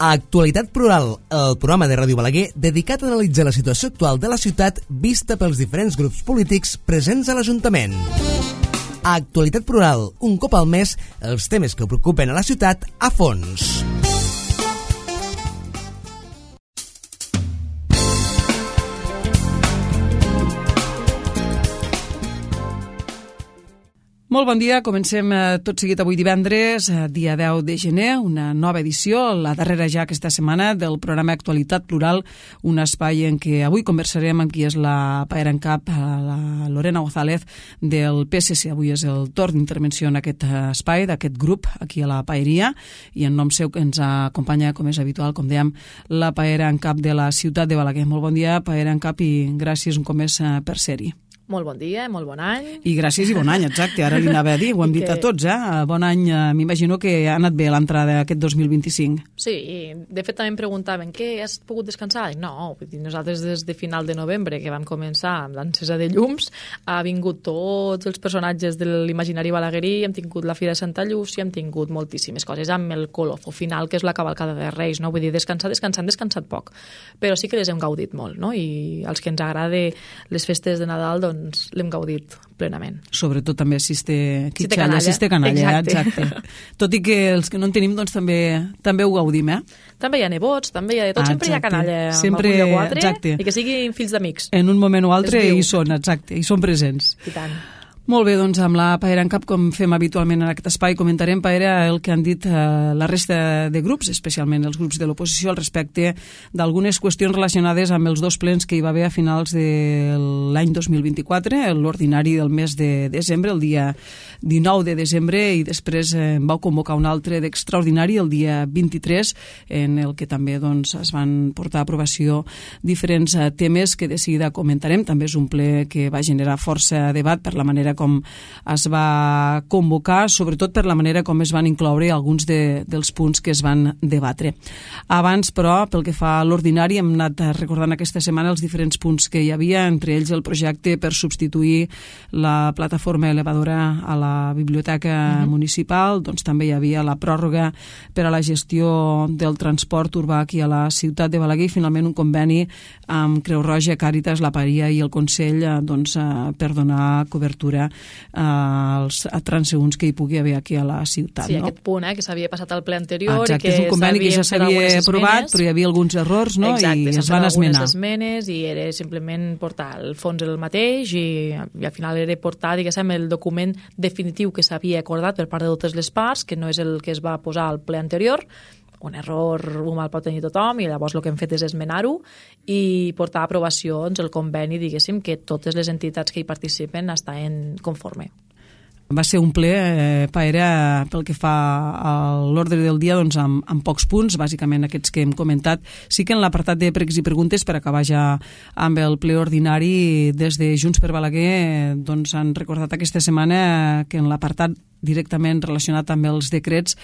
Actualitat Plural, el programa de Ràdio Balaguer dedicat a analitzar la situació actual de la ciutat vista pels diferents grups polítics presents a l'Ajuntament. Actualitat Plural, un cop al mes, els temes que preocupen a la ciutat a fons. Molt bon dia, comencem tot seguit avui divendres, dia 10 de gener, una nova edició, la darrera ja aquesta setmana del programa Actualitat Plural, un espai en què avui conversarem amb qui és la paera en cap, la Lorena González del PSC. Avui és el torn d'intervenció en aquest espai, d'aquest grup, aquí a la paeria, i en nom seu que ens acompanya, com és habitual, com dèiem, la paera en cap de la ciutat de Balaguer. Molt bon dia, paera en cap, i gràcies un cop més per ser-hi. Molt bon dia, molt bon any. I gràcies i bon any, exacte. Ara li anava a dir, ho hem dit a tots, Bon any, m'imagino que ha anat bé l'entrada d'aquest 2025. Sí, i de fet també em preguntaven, què, has pogut descansar? No, vull dir, nosaltres des de final de novembre, que vam començar amb l'encesa de llums, ha vingut tots els personatges de l'imaginari balaguerí, hem tingut la Fira de Santa Llúcia, hem tingut moltíssimes coses, amb el colofo final, que és la cavalcada de Reis, no? Vull dir, descansat poc. Però sí que les hem gaudit molt, no? I als que ens agrada les festes de Nadal, doncs l'hem gaudit plenament. Sobretot també Siste Canalla, exacte. Tot i que els que no en tenim, doncs també ho gaudim, També hi ha nebots, també hi ha de tot, sempre hi ha canalla sempre, amb agulla 4, exacte. I que siguin fills d'amics. En un moment o altre hi són, exacte, hi són presents. I tant. Molt bé, doncs amb la paera en cap, com fem habitualment en aquest espai, comentarem, paera, el que han dit la resta de grups, especialment els grups de l'oposició, al respecte d'algunes qüestions relacionades amb els dos plens que hi va haver a finals de l'any 2024, l'ordinari del mes de desembre, el dia 19 de desembre, i després vau convocar un altre d'extraordinari el dia 23, en el que també doncs, es van portar a aprovació diferents temes que de seguida comentarem. També és un ple que va generar força debat per la manera com es va convocar, sobretot per la manera com es van incloure alguns dels punts que es van debatre. Abans, però, pel que fa a l'ordinari, hem anat recordant aquesta setmana els diferents punts que hi havia, entre ells el projecte per substituir la plataforma elevadora a la biblioteca municipal, doncs també hi havia la pròrroga per a la gestió del transport urbà aquí a la ciutat de Balaguer, i finalment un conveni amb Creu Roja, Càritas, la Paeria i el Consell per donar cobertura als transeünts que hi pugui haver aquí a la ciutat. Sí, aquest punt que s'havia passat al ple anterior. Exacte, i que és un conveni que ja s'havia aprovat, però hi havia alguns errors, no? Exacte, i es van esmenar. Esmenes, i era simplement portar el fons el mateix, i al final era portar, diguéssim, el document definitiu que s'havia acordat per part de totes les parts, que no és el que es va posar al ple anterior. Un error humà el pot tenir tothom, i llavors el que hem fet és esmenar-ho i portar a aprovació el conveni, diguéssim, que totes les entitats que hi participen estan conforme. Va ser un ple, paera, pel que fa a l'ordre del dia, doncs, amb pocs punts, bàsicament aquests que hem comentat. Sí que en l'apartat de pregs i preguntes, per acabar ja amb el ple ordinari, des de Junts per Balaguer doncs, han recordat aquesta setmana que en l'apartat directament relacionat amb els decrets,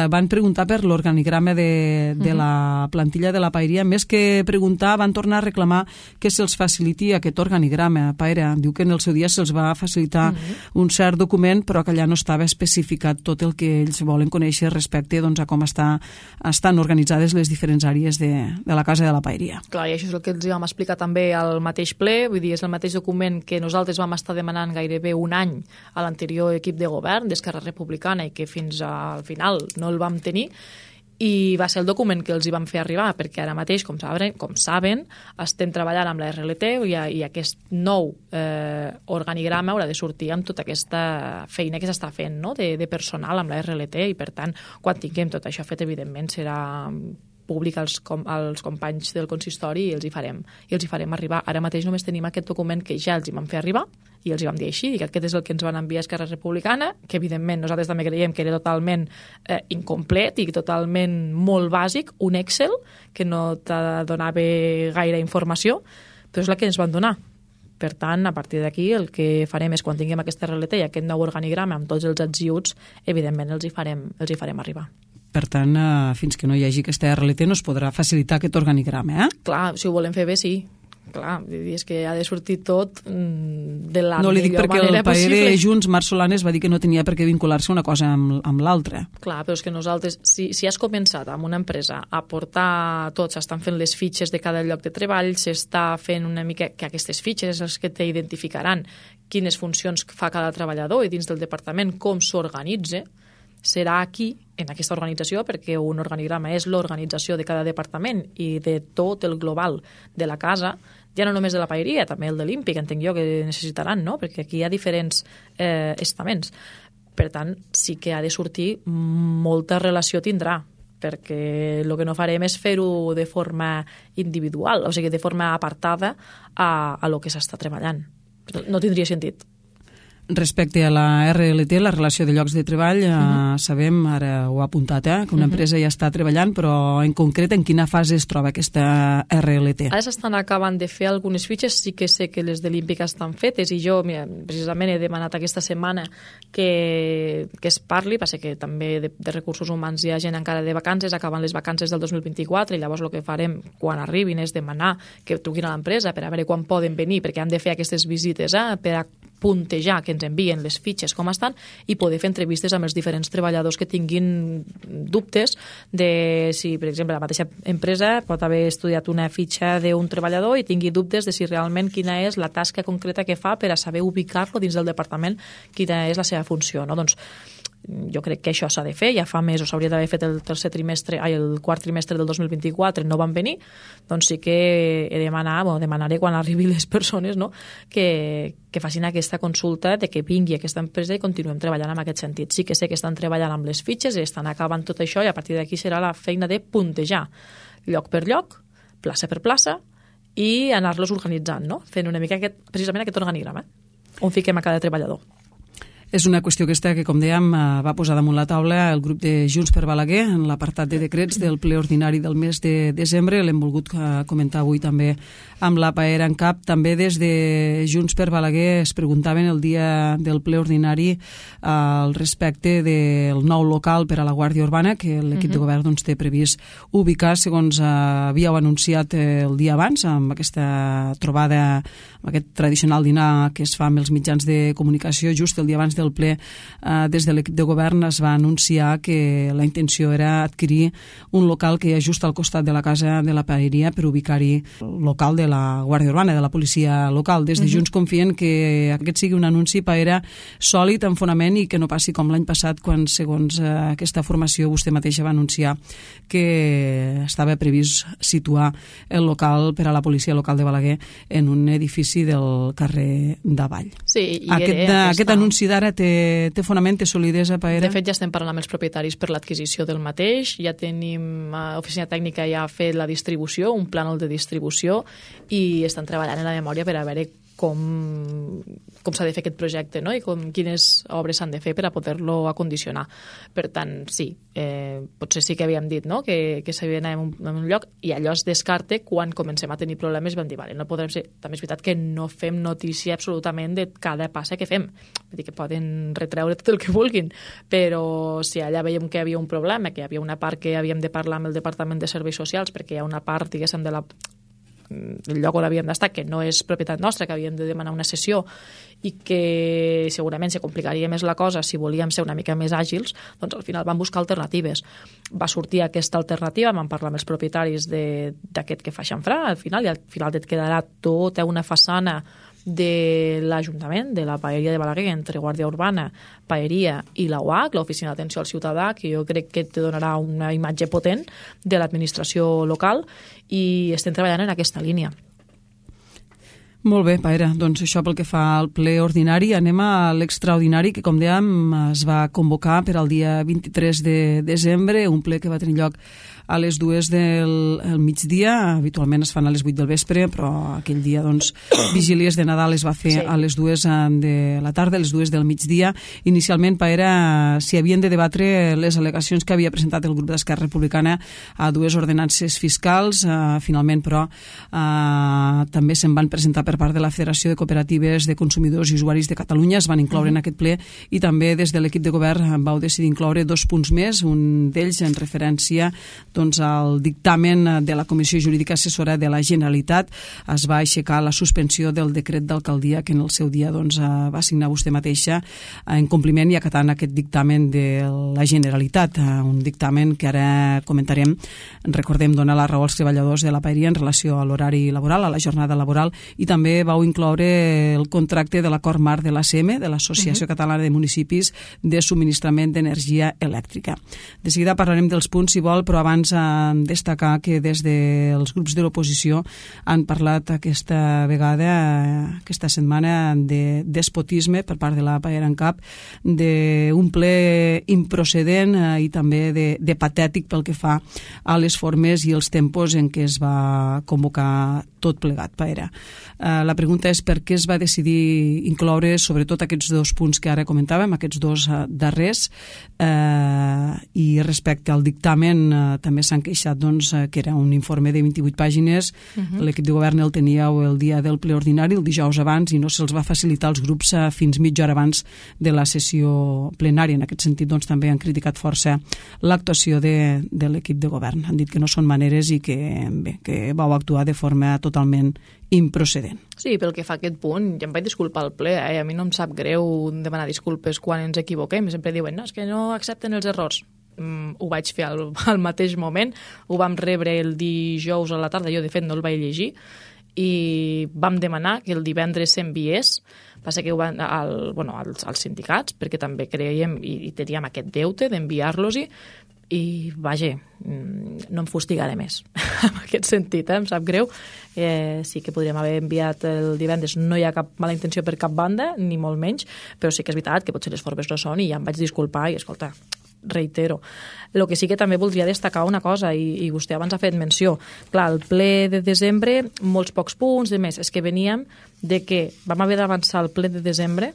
van preguntar per l'organigrama de la plantilla de la paeria. Més que preguntar, van tornar a reclamar que se'ls faciliti aquest organigrama. Paera diu que en el seu dia se'ls va facilitar un cert document, però que allà no estava especificat tot el que ells volen conèixer respecte a com estan organitzades les diferents àrees de la casa de la paeria. Clar, i això és el que els vam explicar també al mateix ple, vull dir, és el mateix document que nosaltres vam estar demanant gairebé un any a l'anterior equip de govern d'Esquerra Republicana, i que fins al final no el vam tenir, i va ser el document que els hi vam fer arribar, perquè ara mateix, com saben, estem treballant amb la RLT, i aquest nou organigrama haurà de sortir amb tota aquesta feina que s'està fent, no?, de personal amb la RLT, i per tant, quan tinguem tot això fet, evidentment serà públic als companys del consistori, i els hi farem arribar. Ara mateix només tenim aquest document que ja els hi vam fer arribar, i els hi vam dir així, i aquest és el que ens van enviar Esquerra Republicana, que evidentment nosaltres també creiem que era totalment incomplet i totalment molt bàsic, un Excel que no donava gaire informació, però és la que ens van donar. Per tant, a partir d'aquí, el que farem és, quan tinguem aquesta RLT i aquest nou organigrama amb tots els adjunts, evidentment els hi farem arribar. Per tant, fins que no hi hagi aquesta RLT no es podrà facilitar aquest organigrama, Clar, si ho volem fer bé, sí. clar, és que ha de sortir tot de la no li dic millor perquè manera el paer possible. de Junts, Marc Solanes, va dir que no tenia per què vincular-se una cosa amb l'altra. Clar, però és que nosaltres, si has començat amb una empresa a portar tot, s'estan fent les fitxes de cada lloc de treball, s'està fent una mica, que aquestes fitxes és les que t'identificaran quines funcions fa cada treballador i dins del departament com s'organitza, serà aquí, en aquesta organització, perquè un organigrama és l'organització de cada departament i de tot el global de la casa, ja no només de la paeria, també el de l'Ímpic, entenc jo que necessitaran, no? Perquè aquí hi ha diferents estaments. Per tant, sí que ha de sortir, molta relació tindrà, perquè el que no farem és fer-ho de forma individual, o sigui, de forma apartada a lo que s'està treballant. No tindria sentit. Respecte a la RLT, la relació de llocs de treball, sabem, ara ho ha apuntat, que una empresa ja està treballant, però en concret en quina fase es troba aquesta RLT? Ara s'estan acabant de fer algunes fitxes, sí que sé que les de l'Ímpic estan fetes i jo, mira, precisament he demanat aquesta setmana que es parli, passa que també de recursos humans hi ha gent encara de vacances, acaben les vacances del 2024 i llavors el que farem quan arribin és demanar que truquin a l'empresa per a veure quan poden venir, perquè han de fer aquestes visites per a puntejar, que ens envien les fitxes com estan i poder fer entrevistes amb els diferents treballadors que tinguin dubtes de si, per exemple, la mateixa empresa pot haver estudiat una fitxa d'un treballador i tingui dubtes de si realment quina és la tasca concreta que fa per a saber ubicar-lo dins del departament, quina és la seva funció, no? Doncs jo crec que això s'ha de fer, ja fa mesos s'hauria d'haver fet el quart trimestre del 2024, no van venir, doncs sí que he demanaré quan arribi les persones, no? que facin aquesta consulta de que vingui aquesta empresa i continuem treballant en aquest sentit. Sí que sé que estan treballant amb les fitxes i estan acabant tot això i a partir d'aquí serà la feina de puntejar lloc per lloc, plaça per plaça i anar-los organitzant, no? Fent una mica precisament aquest organigrama on fiquem a cada treballador. És una qüestió que com dèiem, va posar damunt la taula el grup de Junts per Balaguer en l'apartat de decrets del ple ordinari del mes de desembre. L'hem volgut comentar avui també amb la Paera en cap. També des de Junts per Balaguer es preguntaven el dia del ple ordinari al respecte del nou local per a la Guàrdia Urbana que l'equip de govern té previst ubicar, segons havíeu anunciat el dia abans, amb aquesta trobada, amb aquest tradicional dinar que es fa amb els mitjans de comunicació. Just el dia abans del ple, des de l'equip de govern es va anunciar que la intenció era adquirir un local que hi ha just al costat de la casa de la paeria per ubicar-hi el local de la Guàrdia Urbana, de la policia local. Des de Junts confien que aquest sigui un anunci paera sòlid, en fonament, i que no passi com l'any passat quan, segons aquesta formació, vostè mateixa va anunciar que estava previst situar el local per a la policia local de Balaguer en un edifici del carrer d'Avall. Sí, aquest anunci d'ara té fonament, té solidesa, Paera? De fet, ja estem parlant amb els propietaris per l'adquisició del mateix, ja tenim, Oficina Tècnica ja ha fet la distribució, un plànol de distribució, i estan treballant en la memòria per a veure com s'ha de fer aquest projecte, no? I quines obres s'han de fer per a poder-lo acondicionar. Per tant, sí, potser sí que havíem dit, no? que s'havia d'anar en un lloc i allò es descarte quan comencem a tenir problemes. Vam dir, vale, no podrem ser... També és veritat que no fem notícia absolutament de cada passa que fem. Vull dir que poden retreure tot el que vulguin, però si allà veiem que hi havia un problema, que hi havia una part que havíem de parlar amb el Departament de Serveis Socials, perquè hi ha una part, diguéssim, el lloc on havíem d'estar, que no és propietat nostra, que havíem de demanar una sessió i que segurament se complicaria més la cosa si volíem ser una mica més àgils, doncs al final vam buscar alternatives. Va sortir aquesta alternativa, vam parlar amb els propietaris d'aquest que fa xamfrà, al final et quedarà tota una façana de l'Ajuntament, de la paeria de Balaguer, entre Guàrdia Urbana, paeria i la UAC, l'Oficina d'Atenció al Ciutadà, que jo crec que te donarà una imatge potent de l'administració local i estem treballant en aquesta línia. Molt bé, Paera, doncs això pel que fa al ple ordinari. Anem a l'extraordinari que, com dèiem, es va convocar per al dia 23 de desembre, un ple que va tenir lloc a les 2 del migdia. Habitualment es fan a les 8 del vespre, però aquell dia, doncs, vigílies de Nadal es va fer a les 2 de la tarda, a les 2 del migdia. Inicialment, Paera, s'hi havien de debatre les al·legacions que havia presentat el grup d'Esquerra Republicana a dues ordenances fiscals. Finalment, però, també se'n van presentar per per part de la Federació de Cooperatives de Consumidors i Usuaris de Catalunya es van incloure en aquest ple, i també des de l'equip de govern vau decidir incloure 2 punts més, un d'ells en referència al dictamen de la Comissió Jurídica Assessora de la Generalitat. Es va aixecar la suspensió del decret d'alcaldia que en el seu dia va signar vostè mateixa en compliment i acatant aquest dictamen de la Generalitat, un dictamen que ara comentarem. Recordem, donar la raó als treballadors de la paeria en relació a l'horari laboral, a la jornada laboral, i també vau incloure el contracte de l'acord marc de l'ACM, de l'Associació Catalana de Municipis de Subministrament d'Energia Elèctrica. De seguida parlarem dels punts, si vol, però abans destacar que des dels grups de l'oposició han parlat aquesta vegada, aquesta setmana, de despotisme per part de la Paera en Cap, d'un ple improcedent i també de patètic pel que fa a les formes i els tempos en què es va convocar tot plegat, Paera. La pregunta és per què es va decidir incloure sobretot aquests 2 punts que ara comentàvem, aquests 2 darrers, i respecte al dictamen també s'han queixat que era un informe de 28 pàgines, l'equip de govern el teníeu el dia del ple ordinari, el dijous abans, i no se'ls va facilitar als grups fins mitja hora abans de la sessió plenària. En aquest sentit també han criticat força l'actuació de l'equip de govern. Han dit que no són maneres i que vau actuar de forma totalment improcedent. Sí, pel que fa a aquest punt, ja em vaig disculpar al ple, a mi no em sap greu demanar disculpes quan ens equivoquem, sempre diuen, no, és que no accepten els errors. Ho vaig fer al mateix moment, ho vam rebre el dijous a la tarda, jo de fet no el vaig llegir, i vam demanar que el divendres s'enviés, passa que ho van als sindicats, perquè també creiem i teníem aquest deute d'enviar-los-hi, i vaja, no em fustigaré més en aquest sentit, em sap greu. Sí que podríem haver enviat el divendres, no hi ha cap mala intenció per cap banda, ni molt menys, però sí que és veritat que potser les formes no són, i ja em vaig disculpar i escolta, reitero. El que sí que també voldria destacar una cosa, i vostè abans ha fet menció. Clar, el ple de desembre, molts pocs punts, de més, és que veníem de que vam haver d'avançar el ple de desembre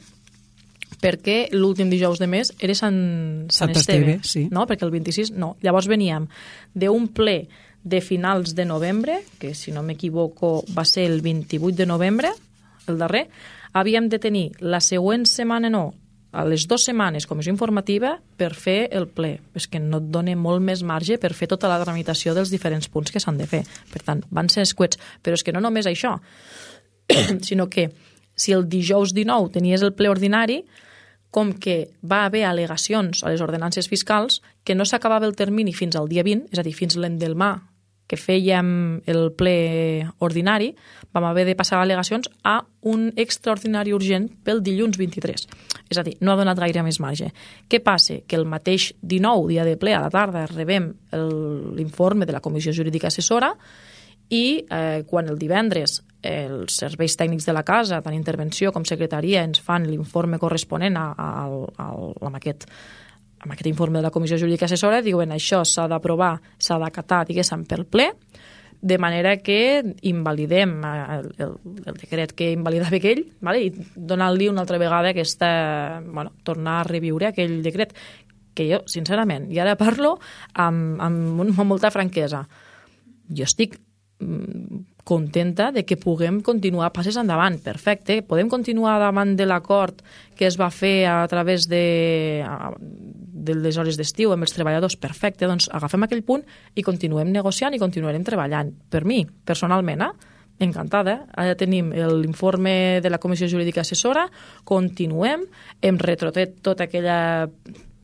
perquè l'últim dijous de mes era Sant Esteve, sí. No? Perquè el 26 no. Llavors veníem d'un ple de finals de novembre, que si no m'equivoco va ser el 28 de novembre, el darrer, havíem de tenir la següent setmana, no, a les 2 setmanes comissió informativa per fer el ple. És que no et dona molt més marge per fer tota la tramitació dels diferents punts que s'han de fer. Per tant, van ser escuets. Però és que no només això, sinó que si el dijous 19 tenies el ple ordinari, com que va haver al·legacions a les ordenances fiscals, que no s'acabava el termini fins al dia 20, és a dir, fins l'endemà que fèiem el ple ordinari, vam haver de passar al·legacions a un extraordinari urgent pel dilluns 23. És a dir, no ha donat gaire més marge. Què passa? Que el mateix 19, dia de ple, a la tarda, rebem l'informe de la Comissió Jurídica Assessora i quan el divendres els serveis tècnics de la casa, tant intervenció com secretaria, ens fan l'informe corresponent amb aquest informe de la Comissió Jurídica Assessora, diuen això s'ha d'aprovar, s'ha d'acatar, diguéssim, pel ple, de manera que invalidem el decret que invalidava aquell, vale? I donant-li una altra vegada tornar a reviure aquell decret, que jo, sincerament, i ara parlo amb molta franquesa, jo estic contenta de que puguem continuar passes endavant, perfecte, podem continuar davant de l'acord que es va fer a través de les hores d'estiu amb els treballadors, perfecte, doncs agafem aquell punt i continuem negociant i continuarem treballant. Per mi, personalment, encantada, ara tenim l'informe de la Comissió Jurídica Assessora, continuem, hem retrotet tota aquella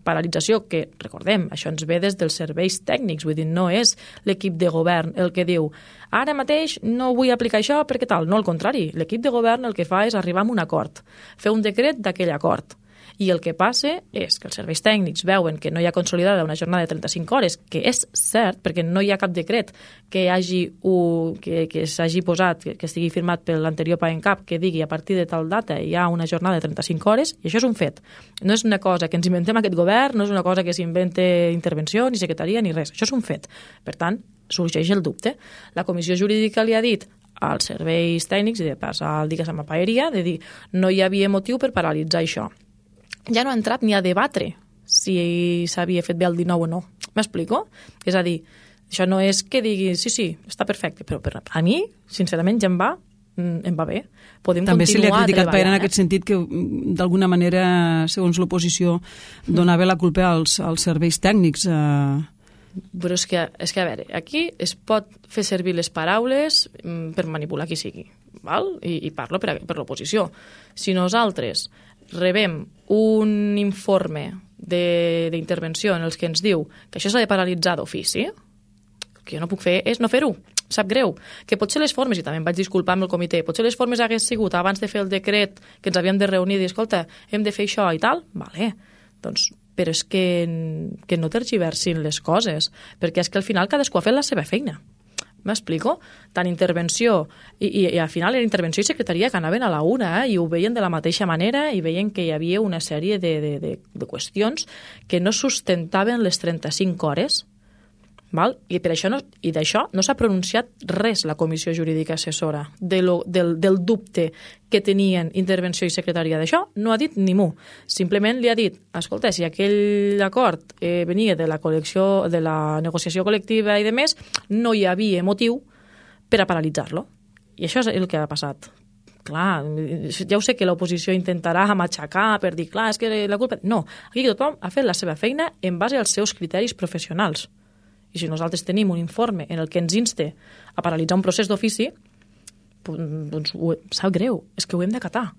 paralització que, recordem, això ens ve des dels serveis tècnics, vull dir, no és l'equip de govern el que diu ara mateix no vull aplicar això perquè tal, no, al contrari, l'equip de govern el que fa és arribar a un acord, fer un decret d'aquell acord. I el que passa és que els serveis tècnics veuen que no hi ha consolidada una jornada de 35 hores, que és cert, perquè no hi ha cap decret que s'hagi posat, que estigui firmat per l'anterior PAENCAP, que digui a partir de tal data hi ha una jornada de 35 hores, i això és un fet. No és una cosa que ens inventem aquest govern, no és una cosa que s'invente intervenció, ni secretaria, ni res. Això és un fet. Per tant, sorgeix el dubte. La Comissió Jurídica li ha dit als serveis tècnics, i de passar el diguéssim a paeria, de dir no hi havia motiu per paralitzar això. Ja no ha entrat ni a debatre si s'havia fet bé el 19 o no. M'explico? És a dir, això no és que digui sí, està perfecte, però a mi, sincerament, ja em va em va bé. Podem també se li ha criticat treballant, en aquest sentit que d'alguna manera, segons l'oposició, donava la culpa als serveis tècnics. Però és que, a veure, aquí es pot fer servir les paraules per manipular qui sigui, val? I parlo per l'oposició. Si nosaltres rebem un informe d'intervenció en els que ens diu que això s'ha de paralitzar d'ofici, el que jo no puc fer és no fer-ho. Sap greu, que potser les formes, i també em vaig disculpar amb el comitè, potser les formes hagués sigut abans de fer el decret que ens havíem de reunir i dir, escolta, hem de fer això i tal, vale, doncs, però és que no tergiversin les coses, perquè és que al final cadascú ha fet la seva feina. M'explico? Tant intervenció, i al final era intervenció i secretaria que anaven a la una, i ho veien de la mateixa manera i veien que hi havia una sèrie de qüestions que no sustentaven les 35 hores. Val? I per això d'això no s'ha pronunciat res la Comissió Jurídica Assessora del dubte que tenien intervenció i secretaria d'això, no ha dit ni mu. Simplement li ha dit, escolta, si aquell acord venia de la negociació col·lectiva i de més, no hi havia motiu per a paralitzar-lo. I això és el que ha passat. Clar, ja ho sé que l'oposició intentarà matxacar per dir, clar, és que la culpa... No, aquí tothom ha fet la seva feina en base als seus criteris professionals. I si nosaltres tenim un informe en el que ens inste a paralitzar un procés d'ofici, doncs sap greu, és que ho hem d'acatar.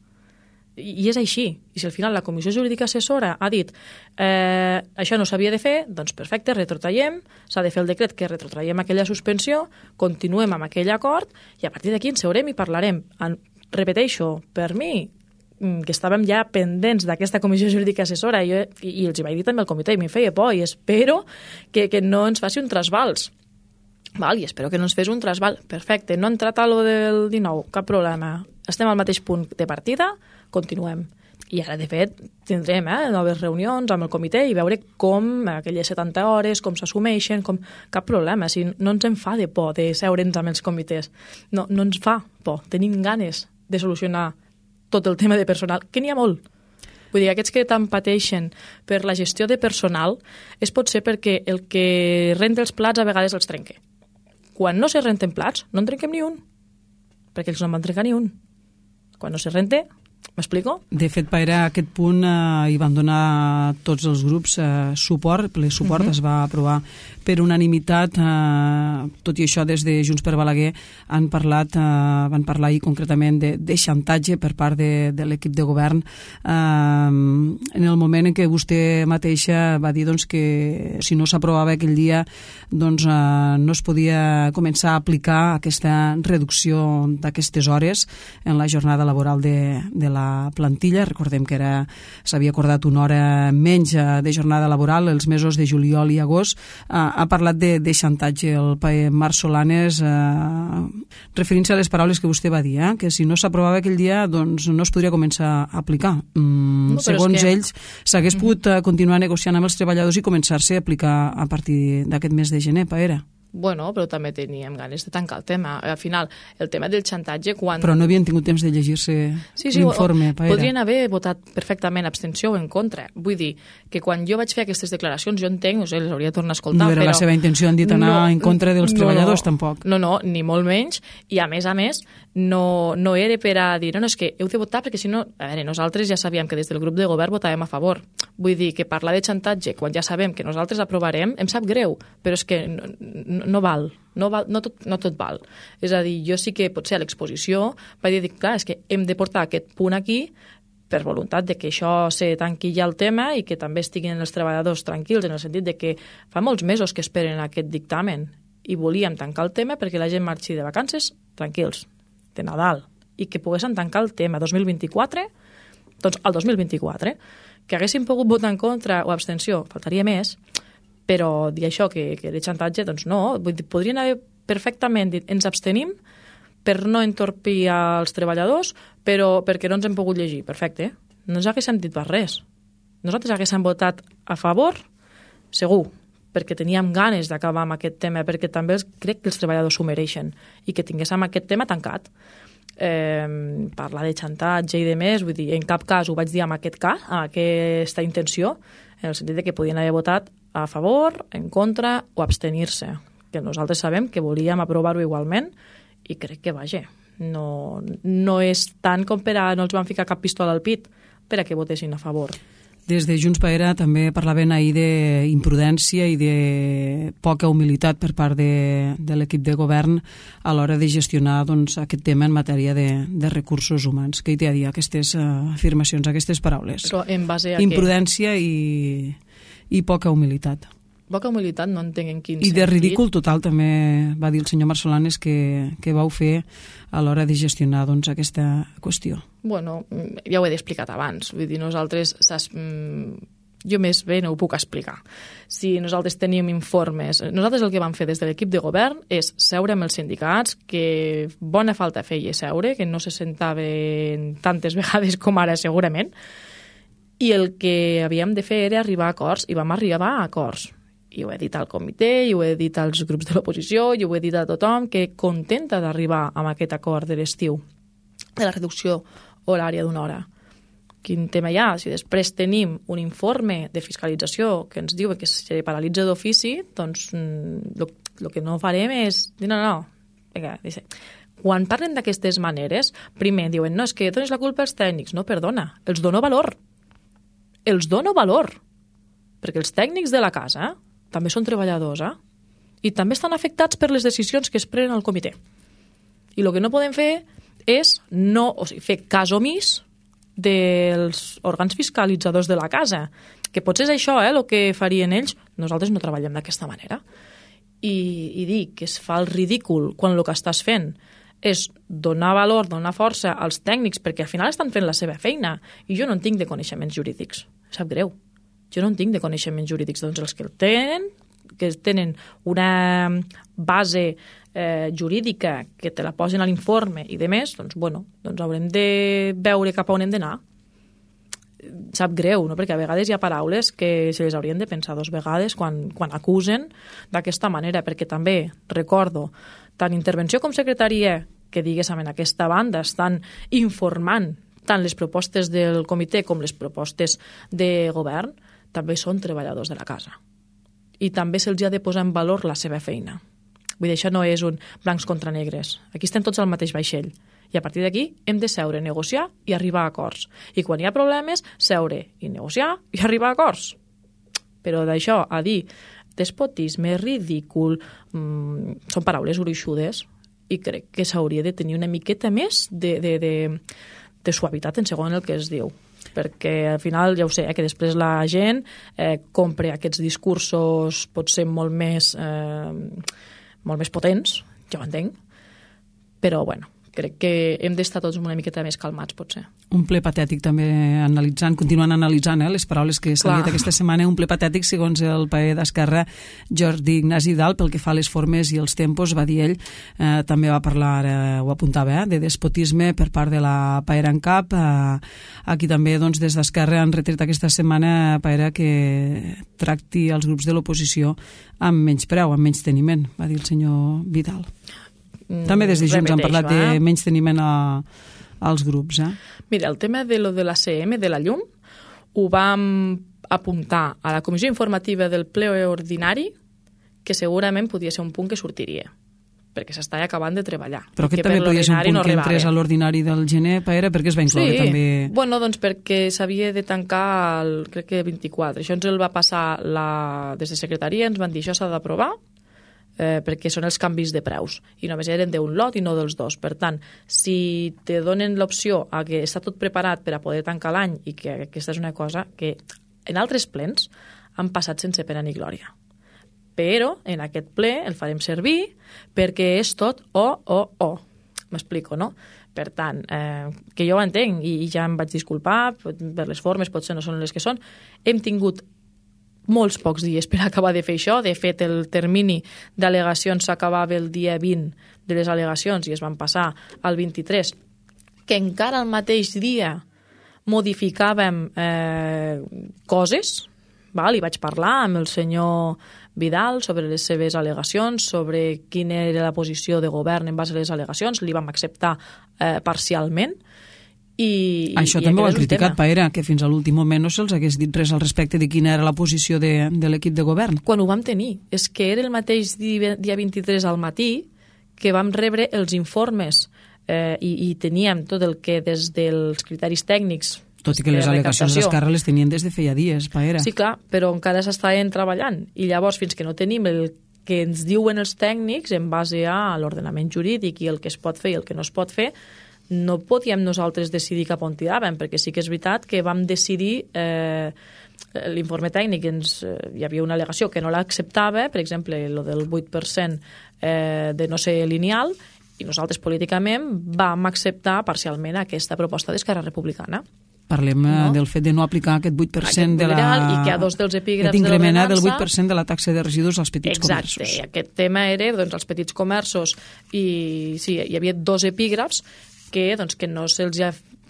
I és així. I si al final la Comissió Jurídica Assessora ha dit això no s'havia de fer, doncs perfecte, retrotraiem, s'ha de fer el decret que retrotraiem aquella suspensió, continuem amb aquell acord i a partir d'aquí ens seurem i parlarem. Repeteixo, per mi, que estàvem ja pendents d'aquesta Comissió Jurídica Assessora i els hi vaig dir també al comitè i m'hi feia por i espero que no ens faci un trasbals. Val, i espero que no ens fes un trasbal. Perfecte, no ha entrat a lo del 19, cap problema. Estem al mateix punt de partida, continuem. I ara, de fet, tindrem noves reunions amb el comitè i veure com aquelles 70 hores, com s'assumeixen, cap problema. Si no ens en fa de por de seure'ns amb els comitès. No ens fa por. Tenim ganes de solucionar tot el tema de personal, que n'hi ha molt. Vull dir, aquests que tant pateixen per la gestió de personal és potser perquè el que renta els plats a vegades els trenca. Quan no se renten plats, no en trenquem ni un, perquè ells no en van trencar ni un. Quan no se rente, m'explico? De fet, a aquest punt hi van donar tots els grups suport, ple suport, es va aprovar per unanimitat, tot i això des de Junts per Balaguer van parlar ahir concretament de xantatge per part de l'equip de govern en el moment en què vostè mateixa va dir que si no s'aprovava aquell dia no es podia començar a aplicar aquesta reducció d'aquestes hores en la jornada laboral de la plantilla. Recordem que s'havia acordat una hora menys de jornada laboral els mesos de juliol i agost. Ha parlat de xantatge el paer Marc Solanes, referint-se a les paraules que vostè va dir, que si no s'aprovava aquell dia no es podria començar a aplicar. Segons ells, s'hagués pogut continuar negociant amb els treballadors i començar-se a aplicar a partir d'aquest mes de gener, paera. Bueno, però també teníem ganes de tancar el tema. Al final, el tema del xantatge... Però no havien tingut temps de llegir-se l'informe, paera. Podrien haver votat perfectament abstenció o en contra. Vull dir que quan jo vaig fer aquestes declaracions, jo entenc, les hauria de tornar a escoltar, no era la seva intenció, han dit anar en contra dels treballadors, tampoc. No, ni molt menys, i a més, no era per a dir, no, és que heu de votar perquè si no... A veure, nosaltres ja sabíem que des del grup de govern votàvem a favor. Vull dir que parlar de xantatge quan ja sabem que nosaltres aprovarem em sap greu, però és que no val, no tot val. És a dir, jo sí que potser a l'exposició vaig dir, clar, és que hem de portar aquest punt aquí per voluntat de que això se tanqui ja el tema i que també estiguin els treballadors tranquils, en el sentit de que fa molts mesos que esperen aquest dictamen i volíem tancar el tema perquè la gent marxi de vacances tranquils, de Nadal, i que poguessin tancar el tema 2024, doncs al 2024, que haguessin pogut votar en contra o abstenció, faltaria més, però dir això, que de xantatge, doncs no. Vull dir, podrien haver perfectament dit ens abstenim per no entorpir als treballadors, però perquè no ens hem pogut llegir. Perfecte. No ens haguéssim dit per res. Nosaltres haguéssim votat a favor, segur, perquè teníem ganes d'acabar amb aquest tema, perquè també crec que els treballadors s'ho mereixen i que tinguéssim aquest tema tancat. Parlar de xantatge i de més, vull dir, en cap cas ho vaig dir amb aquest cas, amb aquesta intenció, en el sentit de que podien haver votat a favor, en contra o abstenir-se, que nosaltres sabem que volíem aprovar-ho igualment i crec que, vaja, No és tant com per a no els van ficar cap pistola al pit per a que votessin a favor. Des de Junts per Era també parlaven ahir d'imprudència i de poca humilitat per part de l'equip de govern a l'hora de gestionar aquest tema en matèria de recursos humans. Què hi té a dir aquestes afirmacions, aquestes paraules? Però en base a imprudència i poca humilitat. Poca humilitat no entenc en quin sentit. I de ridícul total també va dir el senyor Marsolanes que vau fer a l'hora de gestionar aquesta qüestió. Bueno, ja ho he explicat abans. Vull dir, nosaltres... Jo més bé no ho puc explicar. Si nosaltres teníem informes... Nosaltres el que vam fer des de l'equip de govern és seure amb els sindicats, que bona falta feia seure, que no se sentaven tantes vegades com ara segurament, i el que havíem de fer era arribar a acords, i vam arribar a acords. I ho he dit al comitè, i ho he dit als grups de l'oposició, i ho he dit a tothom, que contenta d'arribar amb aquest acord de l'estiu, de la reducció horària d'una hora. Quin tema hi ha? Si després tenim un informe de fiscalització que ens diu que se paralitza d'ofici, doncs el que no farem és dir no. Vinga, quan parlen d'aquestes maneres, primer diuen, no, és que dones la culpa als tècnics. No, perdona, els dono valor. Perquè els tècnics de la casa també són treballadors, i també estan afectats per les decisions que es prenen al comitè. I el que no podem fer és fer cas omís dels òrgans fiscalitzadors de la casa, que potser és això el que farien ells. Nosaltres no treballem d'aquesta manera. I dir que es fa el ridícul quan el que estàs fent és donar valor, donar força als tècnics, perquè al final estan fent la seva feina, i jo no en tinc de coneixements jurídics. Sap greu. Jo no en tinc de coneixements jurídics. Doncs els que tenen una base jurídica que te la posen a l'informe i de més, doncs haurem de veure cap a on hem d'anar. Sap greu, no? Perquè a vegades hi ha paraules que se les haurien de pensar 2 vegades quan acusen d'aquesta manera, perquè també recordo tant intervenció com secretaria que diguéssim en aquesta banda estan informant tant les propostes del comitè com les propostes de govern, també són treballadors de la casa. I també se'ls ha de posar en valor la seva feina. Vull dir, això no és un blancs contra negres. Aquí estem tots al mateix vaixell. I a partir d'aquí hem de seure, negociar i arribar a acords. I quan hi ha problemes, seure i negociar i arribar a acords. Però d'això a dir despotisme, ridícul, són paraules gruixudes, i crec que s'hauria de tenir una miqueta més de suavitat en segon el que es diu, perquè al final ja ho sé, que després la gent compra aquests discursos potser molt més potents, ja ho entenc, però bueno, crec que hem d'estar tots una miqueta més calmats, potser. Un ple patètic també continuant analitzant les paraules que s'han dit aquesta setmana, un ple patètic segons el paer d'Esquerra Jordi Ignasi Dalt, pel que fa a les formes i els tempos, va dir ell, també va parlar, ho apuntava, de despotisme per part de la Paera en Cap. Aquí també des d'Esquerra han retret aquesta setmana Paera que tracti els grups de l'oposició amb menyspreu, amb menysteniment, va dir el senyor Vidal. També des de Junts han parlat de menysteniment als grups. Mira, el tema de lo de la CM, de la llum, ho vam apuntar a la comissió informativa del ple ordinari, que segurament podia ser un punt que sortiria, perquè s'està acabant de treballar. Però aquest també podia ser un punt que entrés a l'ordinari del gener, Paera, perquè es va incloure també... Sí, bueno, doncs perquè s'havia de tancar, crec que 24. Això ens el va passar des de secretaria, ens van dir això s'ha d'aprovar, perquè són els canvis de preus i només eren d'un lot i no dels dos. Per tant, si te donen l'opció a que està tot preparat per a poder tancar l'any, i que aquesta és una cosa que en altres plens han passat sense pena ni glòria, però en aquest ple el farem servir perquè és tot o. M'explico, no? Per tant, que jo ho entenc i ja em vaig disculpar per les formes, potser no són les que són. Hem tingut molts pocs dies per acabar de fer això. De fet, el termini d'al·legacions s'acabava el dia 20 de les al·legacions i es van passar al 23, que encara el mateix dia modificàvem coses. I vaig parlar amb el senyor Vidal sobre les seves al·legacions, sobre quina era la posició de govern en base a les al·legacions. Li vam acceptar parcialment. Això també ho han criticat, Paera, que fins a l'últim moment no se'ls hagués dit res al respecte de quina era la posició de l'equip de govern. Quan ho vam tenir, és que era el mateix dia 23 al matí que vam rebre els informes i teníem tot el que des dels criteris tècnics. Tot i que les al·legacions d'Esquerra les tenien des de feia dies, Paera. Sí, clar, però encara s'estaven treballant. I llavors, fins que no tenim el que ens diuen els tècnics en base a l'ordenament jurídic i el que es pot fer i el que no es pot fer, no podíem nosaltres decidir cap on tiràvem, perquè sí que és veritat que vam decidir... l'informe tècnic hi havia una al·legació que no l'acceptava, per exemple, el del 8% de no ser lineal, i nosaltres políticament vam acceptar parcialment aquesta proposta d'Esquerra Republicana. Parlem del fet de no aplicar aquest 8% de la... I que a dos dels epígrafs de l'ordenança... del 8% de la taxa de residus als petits comerços. Exacte, i aquest tema era els petits comerços i sí, hi havia dos epígrafs que no se'ls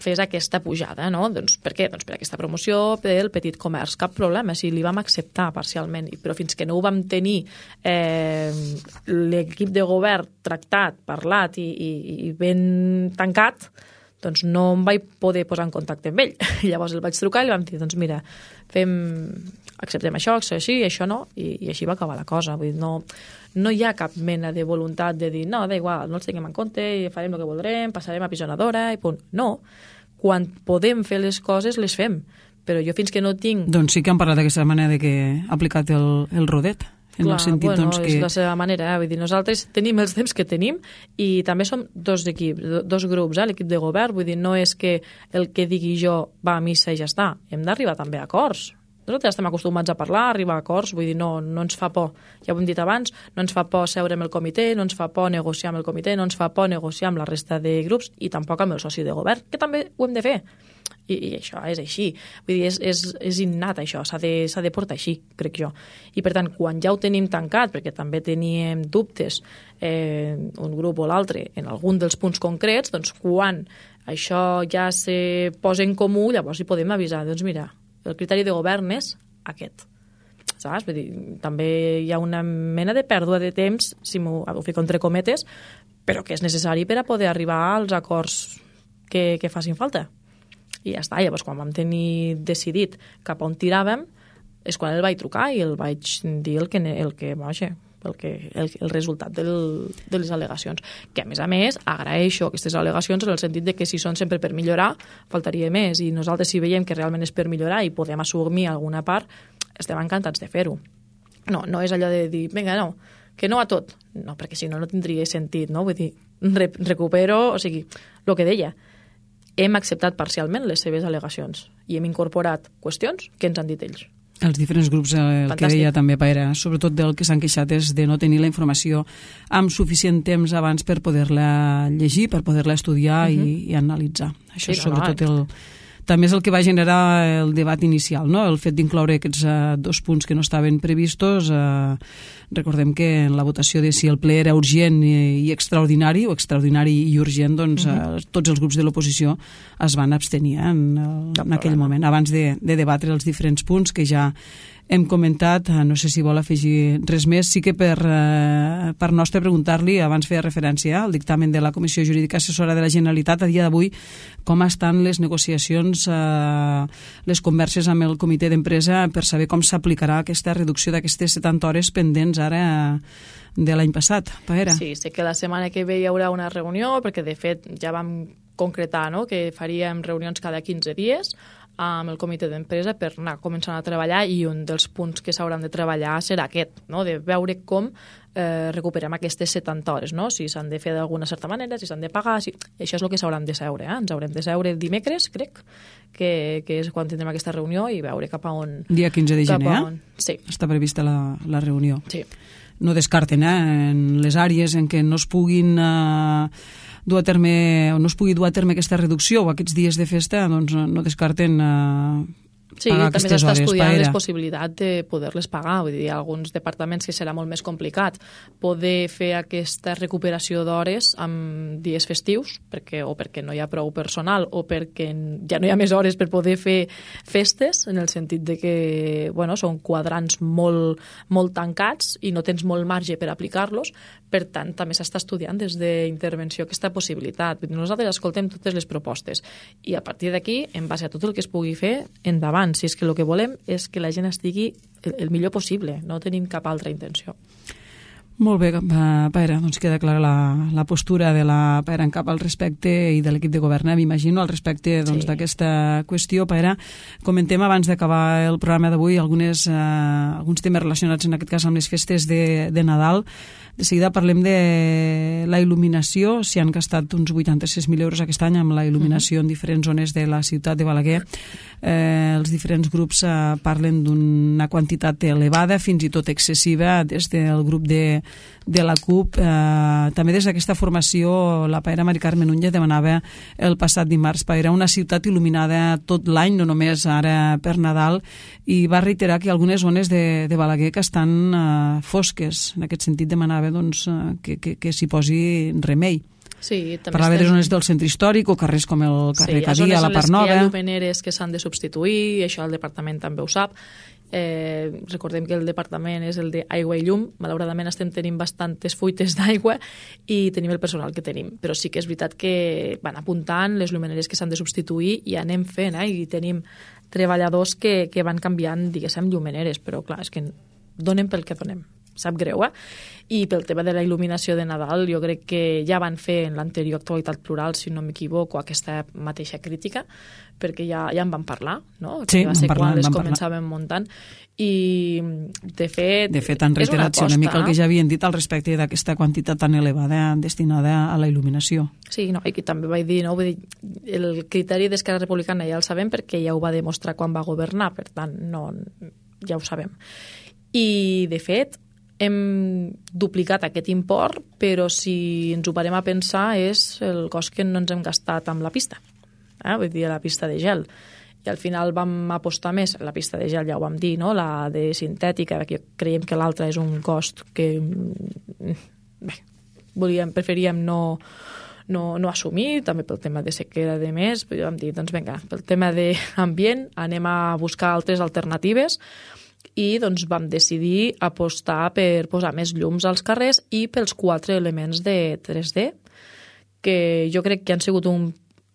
fes aquesta pujada, no? Per què? Per aquesta promoció del petit comerç. Cap problema, si li vam acceptar parcialment, però fins que no ho vam tenir l'equip de govern tractat, parlat i ben tancat, no em vaig poder posar en contacte amb ell. Llavors el vaig trucar i li vam dir, mira, acceptem això així, això no, i així va acabar la cosa. Vull dir, no hi ha cap mena de voluntat de dir, no, da igual, no els tinguem en compte, i farem el que voldrem, passarem a pisonadora, i punt. No, quan podem fer les coses, les fem. Però jo fins que no tinc... Doncs sí que han parlat d'aquesta manera de que ha aplicat el rodet. En el sentit, que... és la seva manera, vull dir, nosaltres tenim els temps que tenim i també som dos equips, dos grups, l'equip de govern, vull dir, no és que el que digui jo va a missa i ja està, hem d'arribar també a acords. Nosaltres estem acostumats a parlar, a arribar a acords, vull dir, no ens fa por, ja ho hem dit abans, no ens fa por seure amb el comitè, no ens fa por negociar amb el comitè, no ens fa por negociar amb la resta de grups i tampoc amb el soci de govern, que també ho hem de fer. I això és així, vull dir, és innat això, s'ha de portar així, crec jo. I per tant, quan ja ho tenim tancat, perquè també teníem dubtes un grup o l'altre en algun dels punts concrets, doncs quan això ja se posa en comú, llavors hi podem avisar, doncs mira, el criteri de govern és aquest. Saps? Vull dir, també hi ha una mena de pèrdua de temps, si ho fico entre cometes, però que és necessari per a poder arribar als acords que facin falta. I ja està, llavors quan vam tenir decidit cap on tiràvem és quan el vaig trucar i el vaig dir el resultat de les al·legacions, que a més agraeixo aquestes al·legacions en el sentit de que si són sempre per millorar, faltaria més, i nosaltres si veiem que realment és per millorar i podem assumir alguna part, estem encantats de fer-ho. No és allò de dir, vinga, no, que no a tot, no, perquè si no tindria sentit, no? Vull dir, recupero, o sigui, el que deia, hem acceptat parcialment les seves al·legacions i hem incorporat qüestions que ens han dit ells. Els diferents grups, el Fantàstic. Que deia també Paera, sobretot del que s'han queixat és de no tenir la informació amb suficient temps abans per poder-la llegir, per poder-la estudiar i analitzar. Això sí, és sobretot també és el que va generar el debat inicial, no? El fet d'incloure aquests dos punts que no estaven previstos. Recordem que en la votació de si el ple era urgent i extraordinari, o extraordinari i urgent, doncs tots els grups de l'oposició es van abstenir en aquell moment, abans de debatre els diferents punts que ja hem comentat. No sé si vol afegir res més. Sí que per nostre preguntar-li, abans feia referència al dictamen de la Comissió Jurídica Assessora de la Generalitat, a dia d'avui, com estan les negociacions, les converses amb el comitè d'empresa per saber com s'aplicarà aquesta reducció d'aquestes 70 hores pendents ara de l'any passat. Paera. Sí, sé que la setmana que ve hi haurà una reunió, perquè de fet ja vam concretar, no?, que faríem reunions cada 15 dies amb el comitè d'empresa per anar començant a treballar, i un dels punts que s'hauran de treballar serà aquest, no?, de veure com recuperem aquestes 70 hores, no?, si s'han de fer d'alguna certa manera, si s'han de pagar, això és el que s'hauran de seure, ens haurem de seure dimecres, crec, que és quan tindrem aquesta reunió, i veure cap a on... Dia 15 de gener, Sí. Està prevista la reunió. Sí. No descarten, en les àrees en què no es puguin... dur a terme, o no es pugui dur a terme aquesta reducció o aquests dies de festa, doncs no descarten pagar aquestes hores. Sí, també s'està estudiant les possibilitats de poder-les pagar. Vull dir, alguns departaments que serà molt més complicat poder fer aquesta recuperació d'hores amb dies festius, o perquè no hi ha prou personal o perquè ja no hi ha més hores per poder fer festes, en el sentit de que són quadrants molt tancats i no tens molt marge per aplicar-los. Per tant, també s'està estudiant des d'intervenció aquesta possibilitat. Nosaltres escoltem totes les propostes i a partir d'aquí, en base a tot el que es pugui fer, endavant. Si és que el que volem és que la gent estigui el millor possible, no tenim cap altra intenció. Molt bé, Paera, doncs queda clara la postura de la Paera en cap al respecte i de l'equip de govern, m'imagino, al respecte d'aquesta qüestió. Paera, comentem abans d'acabar el programa d'avui alguns temes relacionats en aquest cas amb les festes de Nadal. De seguida parlem de la il·luminació, s'hi han gastat uns 86.000 euros aquest any amb la il·luminació en diferents zones de la ciutat de Balaguer. Els diferents grups parlen d'una quantitat elevada, fins i tot excessiva, des del grup de la CUP. També des d'aquesta formació la Paera Mari Carme Núñez demanava el passat dimarts, Paera, una ciutat il·luminada tot l'any, no només ara per Nadal, i va reiterar que hi ha algunes zones de Balaguer que estan fosques. En aquest sentit demanava que s'hi posi remei. Sí, parlava de zones del centre històric o carrers com el carrer Cadia, la Part Nova. Hi ha llumeneres que s'han de substituir, i això el departament també ho sap. Recordem que el departament és el d'aigua i llum. Malauradament estem tenint bastantes fuites d'aigua i tenim el personal que tenim, però sí que és veritat que van apuntant les llumeneres que s'han de substituir i anem fent, i tenim treballadors que van canviant, diguéssim, llumeneres, però clar, és que donem pel que donem. Sap greu, I pel tema de la il·luminació de Nadal, jo crec que ja van fer en l'anterior Actualitat Plural, si no m'equivoco, aquesta mateixa crítica, perquè ja en van parlar, no? Sí, va ser quan les començàvem muntant. I, de fet han reiterat una mica el que ja havien dit al respecte d'aquesta quantitat tan elevada destinada a la il·luminació. Sí, no, i també vaig dir, no? Vull dir, el criteri d'Esquerra Republicana ja el sabem perquè ja ho va demostrar quan va governar, per tant, no, ja ho sabem. I, de fet, hem duplicat aquest import, però si ens ho parem a pensar és el cost que no ens hem gastat amb la pista, vull dir, la pista de gel. I al final vam apostar més, la pista de gel ja ho vam dir, no? La de sintètica, que creiem que l'altra és un cost que preferíem no assumir, també pel tema de sequera de més, però vam dir, doncs vinga, pel tema d'ambient anem a buscar altres alternatives, i doncs vam decidir apostar per posar més llums als carrers i pels 4 elements de 3D, que jo crec que han sigut un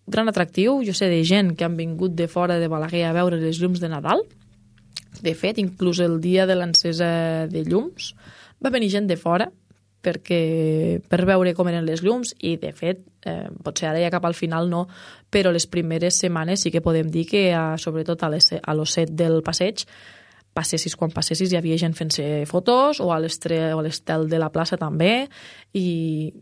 gran atractiu. Jo sé de gent que han vingut de fora de Balaguer a veure les llums de Nadal. De fet, inclús el dia de l'encesa de llums va venir gent de fora per veure com eren les llums, i de fet, potser ara ja cap al final no, però les primeres setmanes sí que podem dir que sobretot a l'Osset del passeig, quan passessis hi havia gent fent-se fotos, o a l'estel de la plaça també, i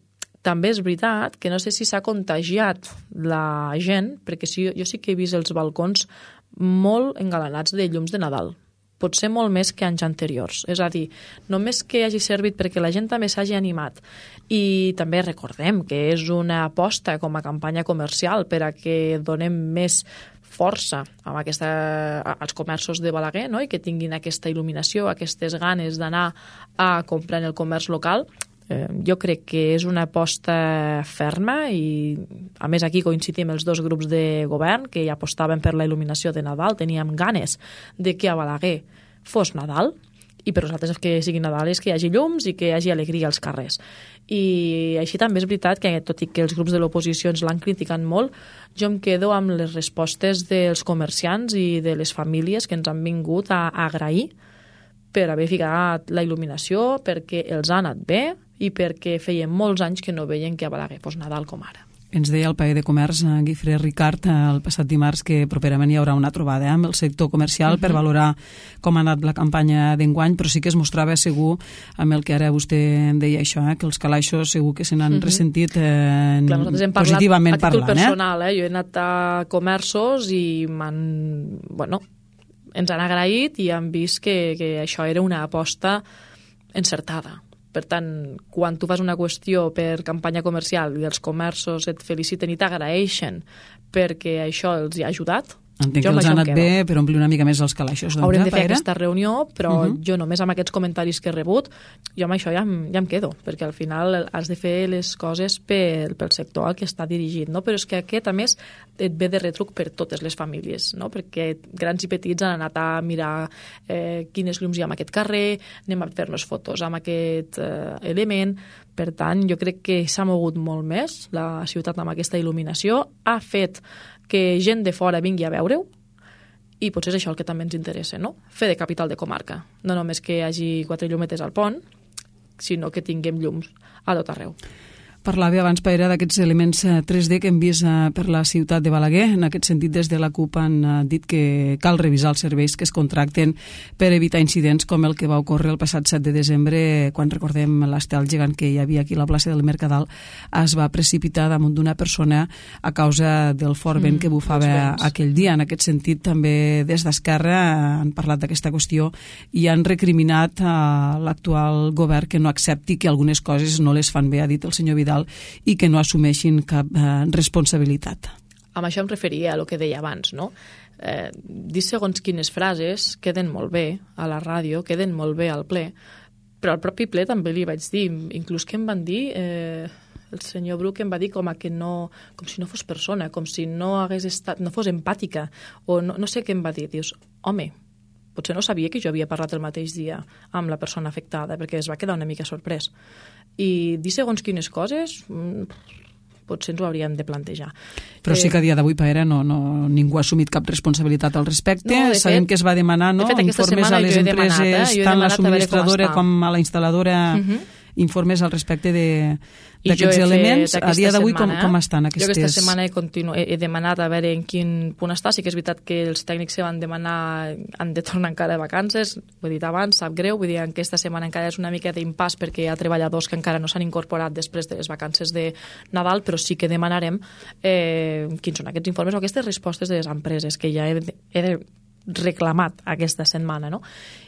també és veritat que no sé si s'ha contagiat la gent, perquè jo sí que he vist els balcons molt engalanats de llums de Nadal, potser molt més que anys anteriors. És a dir, només que hagi servit perquè la gent també s'hagi animat. I també recordem que és una aposta com a campanya comercial per a que donem més força als comerços de Balaguer, no? I que tinguin aquesta il·luminació, aquestes ganes d'anar a comprar en el comerç local. Jo crec que és una aposta ferma, i a més aquí coincidim els dos grups de govern que ja apostaven per la il·luminació de Nadal. Teníem ganes de que a Balaguer fos Nadal, i per nosaltres que sigui Nadal és que hi hagi llums i que hi hagi alegria als carrers. I així també és veritat que, tot i que els grups de l'oposició ens l'han criticat molt, jo em quedo amb les respostes dels comerciants i de les famílies que ens han vingut a agrair per haver ficat la il·luminació, perquè els ha anat bé i perquè feien molts anys que no veien que a Balaguer fos Nadal com ara. Ens deia el paller de comerç, Guifré Ricard, el passat dimarts, que properament hi haurà una trobada amb el sector comercial per valorar com ha anat la campanya d'enguany, però sí que es mostrava segur amb el que ara vostè em deia això, que els calaixos segur que se n'han ressentit positivament parlant. A títol personal, jo he anat a comerços i ens han agraït i han vist que això era una aposta encertada. Per tant, quan tu fas una qüestió per campanya comercial i els comerços et feliciten i t'agraeixen perquè això els hi ha ajudat, entenc que els ha anat bé per omplir una mica més els calaixos. Haurem de fer aquesta reunió, però jo només amb aquests comentaris que he rebut, jo amb això ja em quedo, perquè al final has de fer les coses pel sector al que està dirigit, no? Però és que aquest, a més, et ve de retruc per totes les famílies, no? Perquè grans i petits han anat a mirar quines llums hi ha en aquest carrer, anem a fer-nos fotos amb aquest element. Per tant, jo crec que s'ha mogut molt més la ciutat amb aquesta il·luminació, ha fet que gent de fora vingui a veure-ho, i potser és això el que també ens interessa, no? Fer de capital de comarca. No només que hi hagi 4 llumetes al pont, sinó que tinguem llums a tot arreu. Parlava abans, Paera, d'aquests elements 3D que hem vist per la ciutat de Balaguer. En aquest sentit, des de la CUP han dit que cal revisar els serveis que es contracten per evitar incidents com el que va ocórrer el passat 7 de desembre, quan recordem l'estel gegant que hi havia aquí a la plaça del Mercadal es va precipitar damunt d'una persona a causa del fort vent que bufava aquell dia. En aquest sentit, també des d'Esquerra han parlat d'aquesta qüestió i han recriminat a l'actual govern que no accepti que algunes coses no les fan bé, ha dit el senyor Vidal, i que no assumeixin cap responsabilitat. Amb això em referia a el que deia abans, no? Dir segons quines frases queden molt bé a la ràdio, queden molt bé al ple, però al propi ple també li vaig dir, inclús que em van dir, el senyor Bruc em va dir com si no fos persona, com si no hagués estat, no fos empàtica, o no sé què em va dir. Dius, home, potser no sabia que jo havia parlat el mateix dia amb la persona afectada, perquè es va quedar una mica sorprès. I dir segons quines coses, potser ens ho hauríem de plantejar. Però sí que a dia d'avui, Paera, ningú ha assumit cap responsabilitat al respecte. No, sabem que es va demanar informes a les empreses, tant la subministradora com a la instal·ladora, informes al respecte d'aquests elements. A dia d'avui, com estan aquestes? Jo aquesta setmana he demanat a veure en quin punt està. Sí que és veritat que els tècnics que van demanar han de tornar encara de vacances. Ho he dit abans, sap greu. Vull dir que aquesta setmana encara és una mica d'impàs perquè hi ha treballadors que encara no s'han incorporat després de les vacances de Nadal, però sí que demanarem quins són aquests informes o aquestes respostes de les empreses que ja he reclamat aquesta setmana, no?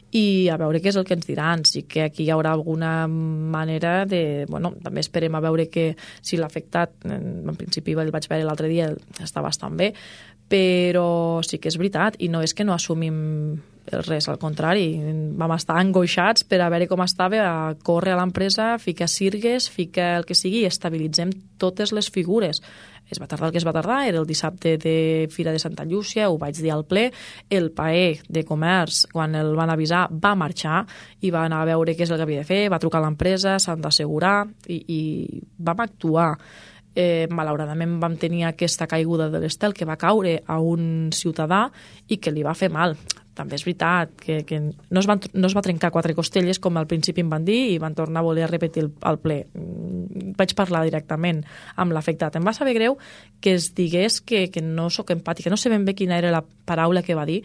I a veure què és el que ens diran. Sí que aquí hi haurà alguna manera de... Bueno, també esperem a veure que si l'ha afectat, en principi el vaig veure l'altre dia, està bastant bé, però sí que és veritat, i no és que no assumim res, al contrari, vam estar angoixats per a veure com estava, a córrer a l'empresa, ficar sirgues, ficar el que sigui, i estabilitzem totes les figures. Es va tardar el que es va tardar, era el dissabte de Fira de Santa Llúcia, ho vaig dir al ple, el paer de comerç, quan el van avisar, va marxar i va anar a veure què és el que havia de fer, va trucar a l'empresa, s'han d'assegurar, i vam actuar. Malauradament vam tenir aquesta caiguda de l'estel que va caure a un ciutadà i que li va fer mal. També és veritat que no es va trencar 4 costelles com al principi em van dir i van tornar a voler repetir el ple. Vaig parlar directament amb l'afectat. Em va saber greu que es digués que no sóc empàtica. No sé ben bé quina era la paraula que va dir,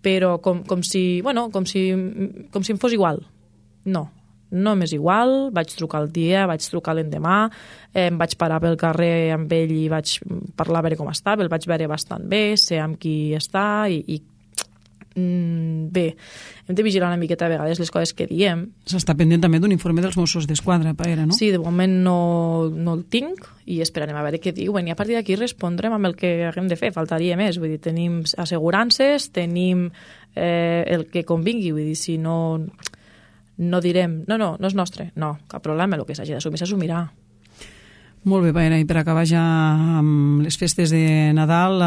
però com si em fos igual. No m'és igual, vaig trucar el dia, vaig trucar l'endemà, em vaig parar pel carrer amb ell i vaig parlar a veure com estava, el vaig veure bastant bé, sé amb qui està i bé, hem de vigilar una miqueta a vegades les coses que diem. S'està pendent també d'un informe dels Mossos d'Esquadra, Paera, no? Sí, de moment no el tinc i esperarem a veure què diuen i a partir d'aquí respondrem amb el que haguem de fer, faltaria més, vull dir, tenim assegurances, tenim el que convingui, vull dir, si no direm, no és nostre, no, cap problema, el que s'hagi d'assumir s'assumirà. Molt bé, Paera, i per acabar ja amb les festes de Nadal,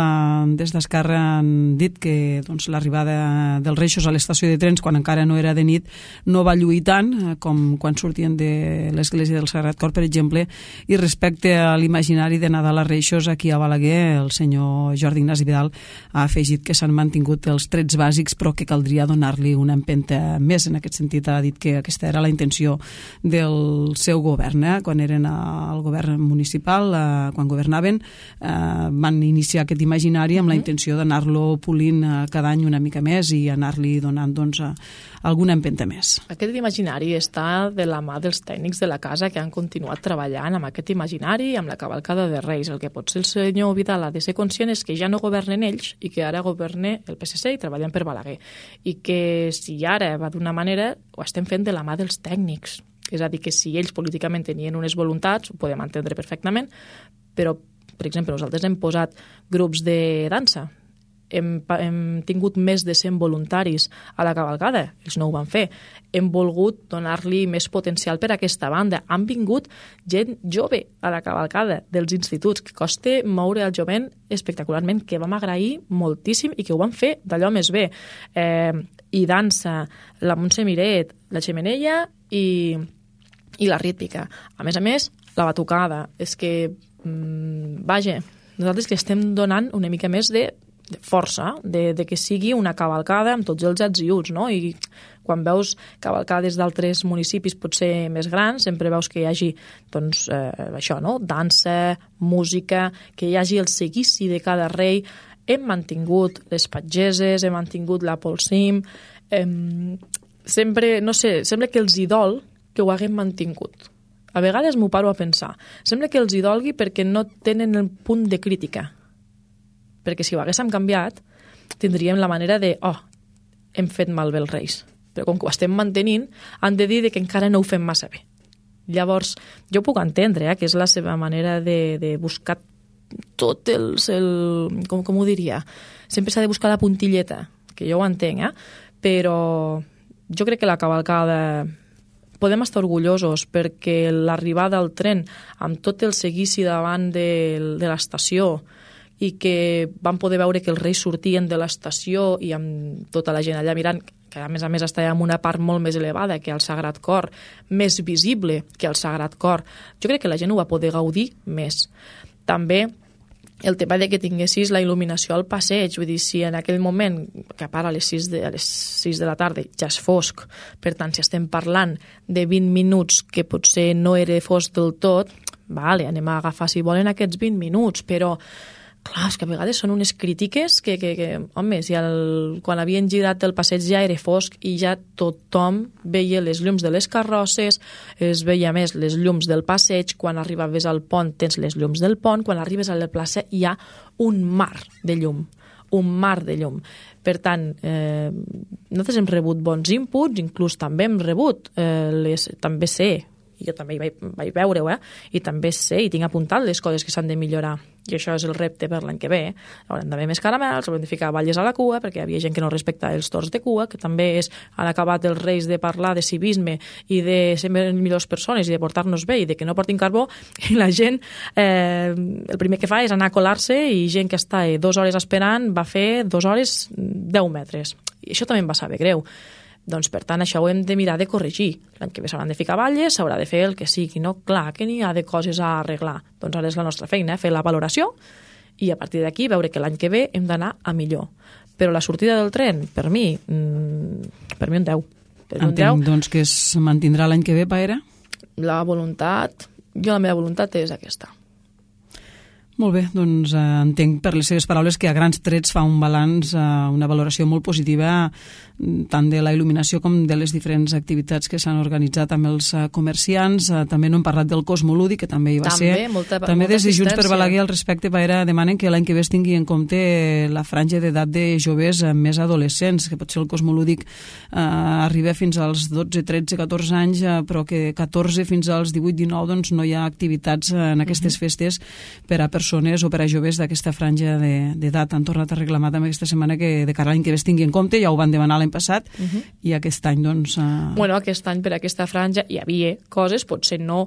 des d'Esquerra han dit que l'arribada dels Reixos a l'estació de trens, quan encara no era de nit, no va lluir tant com quan sortien de l'església del Sagrat Cor, per exemple, i respecte a l'imaginari de Nadal a Reixos, aquí a Balaguer, el senyor Jordi Ignasi Vidal ha afegit que s'han mantingut els trets bàsics, però que caldria donar-li una empenta més. En aquest sentit, ha dit que aquesta era la intenció del seu govern, quan eren al govern municipal, quan governaven, van iniciar aquest imaginari amb la intenció d'anar-lo polint cada any una mica més i anar-li donant alguna empenta més. Aquest imaginari està de la mà dels tècnics de la casa que han continuat treballant amb aquest imaginari, amb la cavalcada de Reis. El que potser el senyor Vidal ha de ser conscient és que ja no governen ells i que ara governa el PSC i treballen per Balaguer. I que si ara va d'una manera, ho estem fent de la mà dels tècnics. És a dir, que si ells políticament tenien unes voluntats, ho podem entendre perfectament, però, per exemple, nosaltres hem posat grups de dansa, hem tingut més de 100 voluntaris a la cavalcada, ells no ho van fer, hem volgut donar-li més potencial per a aquesta banda, han vingut gent jove a la cavalcada dels instituts, que costa moure el jovent espectacularment, que vam agrair moltíssim i que ho van fer d'allò més bé. I dansa, la Montse Miret, la Xemeneia i la rítmica. A més, la batucada. És que, vaja, nosaltres que estem donant una mica més de força, de que sigui una cavalcada amb tots els ets i uts, no? I Quan veus cavalcades d'altres municipis potser més grans, sempre veus que hi hagi doncs, això, no? Dansa, música, que hi hagi el seguici de cada rei. Hem mantingut les patgeses, hem mantingut la polsim, sempre, no sé, sembla que els hi dol que ho haguem mantingut. A vegades m'ho paro a pensar. Sembla que els hi dolgui perquè no tenen el punt de crítica. Perquè si ho haguéssim canviat, tindríem la manera de, hem fet malbé els reis. Però com que ho estem mantenint, han de dir que encara no ho fem massa bé. Llavors, jo puc entendre que és la seva manera de buscar tot com ho diria? Sempre s'ha de buscar la puntilleta, que jo ho entenc, però jo crec que la cavalcada podem estar orgullosos perquè l'arribada al tren amb tot el seguici davant de l'estació i que vam poder veure que els reis sortien de l'estació i amb tota la gent allà mirant, que a més estava en una part molt més elevada que el Sagrat Cor, més visible que el Sagrat Cor. Jo crec que la gent ho va poder gaudir més. També el tema de que tinguessis la il·luminació al passeig, vull dir, si en aquell moment, que a part a les 6 de la tarda ja és fosc, per tant, si estem parlant de 20 minuts que potser no era fosc del tot, vale, anem a agafar, si volen, aquests 20 minuts, però clar, és que a vegades són unes crítiques que home, si quan havien girat el passeig ja era fosc i ja tothom veia les llums de les carrosses, es veia més les llums del passeig, quan arribaves al pont tens les llums del pont, quan arribes a la plaça hi ha un mar de llum. Per tant, nosaltres hem rebut bons inputs, inclús també hem rebut, també sé, i jo també hi vaig veure-ho, i també sé i tinc apuntat les coses que s'han de millorar. I això és el repte per l'any que ve. Haurem d'haver més caramels, haurem de ficar balles a la cua, perquè hi havia gent que no respecta els torns de cua, que també han acabat els reis de parlar de civisme i de ser millors persones i de portar-nos bé i de que no portin carbó, i la gent el primer que fa és anar a colar-se i gent que està 2 hores esperant va fer 2 hores 10 metres. I això també em va saber greu. Doncs, per tant, això ho hem de mirar de corregir. L'any que ve s'hauran de ficar balles, s'haurà de fer el que sigui. No? Clar que n'hi ha de coses a arreglar. Doncs ara és la nostra feina, fer la valoració i a partir d'aquí veure que l'any que ve hem d'anar a millor. Però la sortida del tren, per mi un 10. Entenc, doncs, que es mantindrà l'any que ve, Paera? La meva voluntat és aquesta. Molt bé, doncs entenc per les seves paraules que a grans trets fa un balanç, una valoració molt positiva tant de la il·luminació com de les diferents activitats que s'han organitzat amb els comerciants. També no hem parlat del Cosmolúdic, que també hi va ser. També des de Junts per Balaguer al respecte, Paera, demanen que l'any que ve es tingui en compte la franja d'edat de joves més adolescents, que potser el Cosmolúdic arriba fins als 12, 13, 14 anys, però que 14 fins als 18, 19 doncs no hi ha activitats en aquestes festes per a persones o per a joves d'aquesta franja d'edat. Han tornat a reclamar també aquesta setmana que de cara a l'any que ve es tingui en compte, ja ho van demanar l'any passat, i aquest any doncs... Bueno, aquest any per aquesta franja hi havia coses, potser no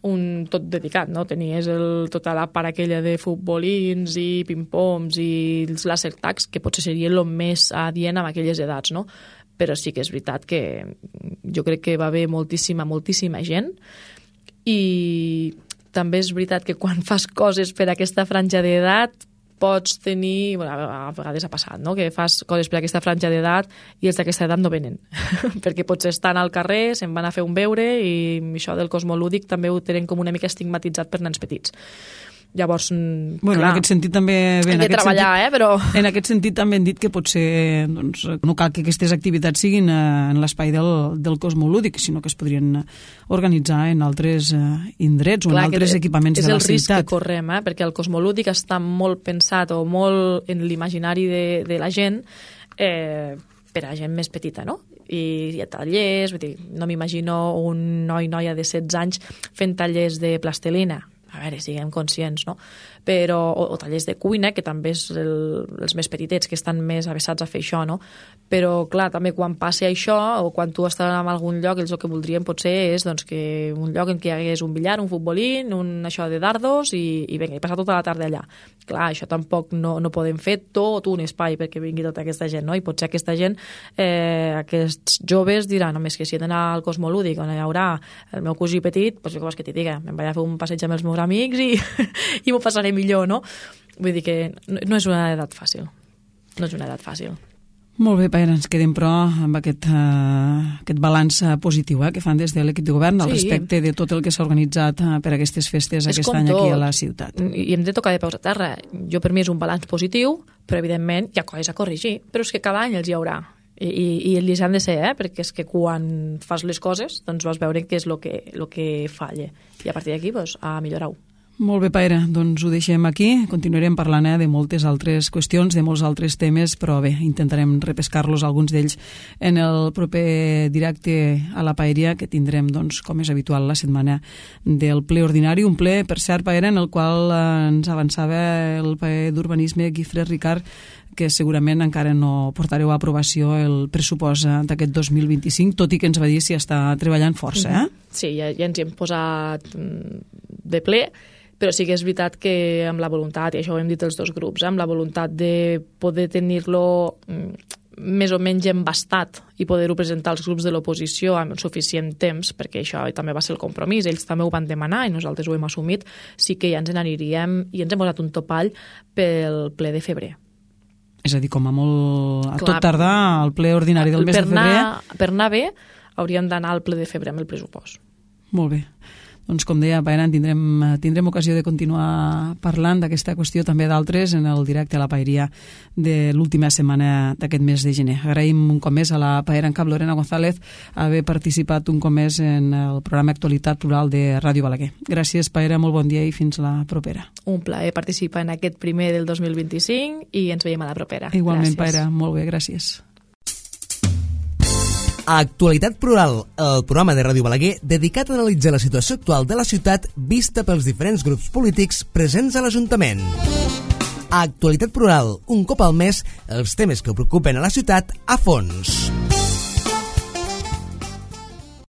un tot dedicat, no? Tenies tota la part aquella de futbolins i ping-pongs i els laser tags, que potser seria el més adient amb aquelles edats, no? Però sí que és veritat que jo crec que va haver moltíssima gent, i també és veritat que quan fas coses per aquesta franja d'edat pots tenir, a vegades ha passat, no? Que fas coses per aquesta franja d'edat i els d'aquesta edat no venen, perquè potser estan al carrer, se'n van a fer un beure, i això del cosmolúdic també ho tenen com una mica estigmatitzat per nens petits. Llavors, bueno, clar, en aquest sentit també... Hem de treballar, però... En aquest sentit també hem dit que potser doncs, no cal que aquestes activitats siguin en l'espai del cosmolúdic, sinó que es podrien organitzar en altres indrets o en altres equipaments de la ciutat. És el risc que correm, perquè el cosmolúdic està molt pensat o molt en l'imaginari de la gent per a gent més petita, no? I hi ha tallers, vull dir, no m'imagino un noia de 16 anys fent tallers de plastilina. A veure, siguem conscients, no? Però, o tallers de cuina, que també és els més petitets, que estan més avessats a fer això, no? Però, clar, també quan passi això, o quan tu estàs en algun lloc, ells el que voldrien potser és doncs, que un lloc en què hi hagués un billar, un futbolín, això de dardos, i vinga, i passar tota la tarda allà. Clar, això tampoc no podem fer tot un espai perquè vingui tota aquesta gent, no? I potser aquesta gent, aquests joves diran, home, és que si he d'anar al Cosmolúdic, on hi haurà el meu cosí petit, doncs què vols que t'hi diga? Me'n vaig a fer un passeig amb els meus amics i m'ho passaré millor, no? Vull dir que no és una edat fàcil. No és una edat fàcil. Molt bé, Paera, ens quedem però amb aquest balanç positiu que fan des de l'equip de govern al respecte de tot el que s'ha organitzat per aquestes festes aquest any aquí a la ciutat. I hem de tocar de peus a terra. Jo per mi és un balanç positiu, però evidentment hi ha coses a corregir, però és que cada any els hi haurà. I els han de ser, perquè és que quan fas les coses doncs vas veure què és el que falla. I a partir d'aquí a millorar-ho. Molt bé, Paera, doncs ho deixem aquí. Continuarem parlant de moltes altres qüestions, de molts altres temes, però bé, intentarem repescar-los, alguns d'ells, en el proper directe a la Paeria, que tindrem, doncs, com és habitual, la setmana del ple ordinari. Un ple, per cert, Paera, en el qual ens avançava el paer d'Urbanisme, Guifré Ricard, que segurament encara no portareu a aprovació el pressupost d'aquest 2025, tot i que ens va dir si està treballant força, Sí, ja ens hi hem posat de ple, però sí que és veritat que amb la voluntat, i això ho hem dit els dos grups, amb la voluntat de poder tenir-lo més o menys embastat i poder-ho presentar als grups de l'oposició amb suficient temps, perquè això també va ser el compromís, ells també ho van demanar i nosaltres ho hem assumit, sí que ja ens n'aniríem i ens hem posat un topall pel ple de febrer. És a dir, com a molt... A tot tardar al ple ordinari del mes de febrer... Per anar bé, hauríem d'anar al ple de febrer amb el pressupost. Molt bé. Doncs, com deia, Paera, tindrem ocasió de continuar parlant d'aquesta qüestió, també d'altres, en el directe a la Paeria de l'última setmana d'aquest mes de gener. Agraïm un cop més a la Paera en cap Lorena González haver participat un cop més en el programa Actualitat Plural de Ràdio Balaguer. Gràcies, Paera, molt bon dia i fins la propera. Un plaer participar en aquest primer del 2025 i ens veiem a la propera. Igualment, Paera, molt bé, gràcies. Actualitat Plural, el programa de Ràdio Balaguer dedicat a analitzar la situació actual de la ciutat vista pels diferents grups polítics presents a l'Ajuntament. Actualitat Plural, un cop al mes, els temes que preocupen a la ciutat a fons.